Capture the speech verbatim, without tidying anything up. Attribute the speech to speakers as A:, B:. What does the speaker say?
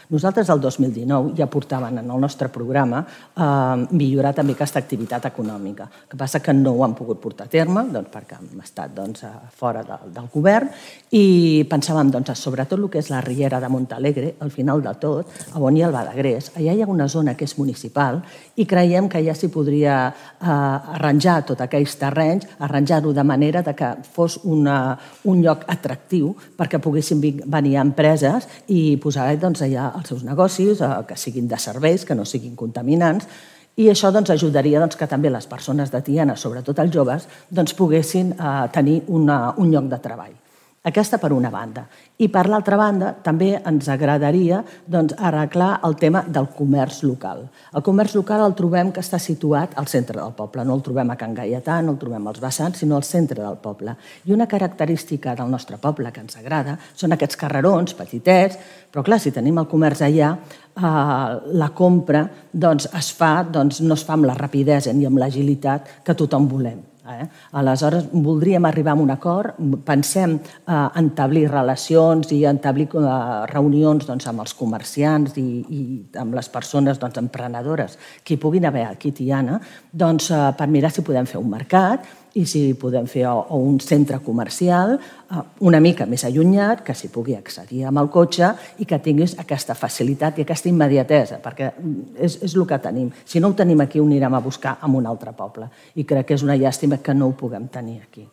A: Nosaltres el dos mil dinou ja portàvem en el nostre programa millorar també aquesta activitat econòmica. El que passa que no ho han pogut portar a terme perquè hem estat fora del govern i pensàvem sobretot el que és la Riera de Montalegre, al final de tot, on hi ha el Badagrés. Allà hi ha una zona que és municipal i creiem que ja s'hi podria arranjar tots aquells terrenys, arranjar-ho de manera que fos un lloc atractiu perquè poguessin venir empreses i posar allà els seus negocis, que siguin de serveis, que no siguin contaminants, i això ajudaria que també les persones de Tiana, sobretot els joves, poguessin tenir un lloc de treball. Aquesta per una banda. I per l'altra banda també ens agradaria arreglar el tema del comerç local. El comerç local el trobem que està situat al centre del poble. No el trobem a Can Gaietà, no el trobem als vessants, sinó al centre del poble. I una característica del nostre poble que ens agrada són aquests carrerons petitets, però clar, si tenim el comerç allà, la compra es fa, no es fa amb la rapidesa ni amb l'agilitat que tothom volem. Aleshores, voldríem arribar a un acord, pensem establir relacions i establir reunions amb els comerciants i amb les persones emprenedores que hi puguin haver aquí a Tiana per mirar si podem fer un mercat i si podem fer un centre comercial una mica més allunyat, que s'hi pugui accedir amb el cotxe i que tinguis aquesta facilitat i aquesta immediatesa, perquè és el que tenim. Si no ho tenim aquí, ho anirem a buscar en un altre poble. I crec que és una llàstima que no ho puguem tenir aquí.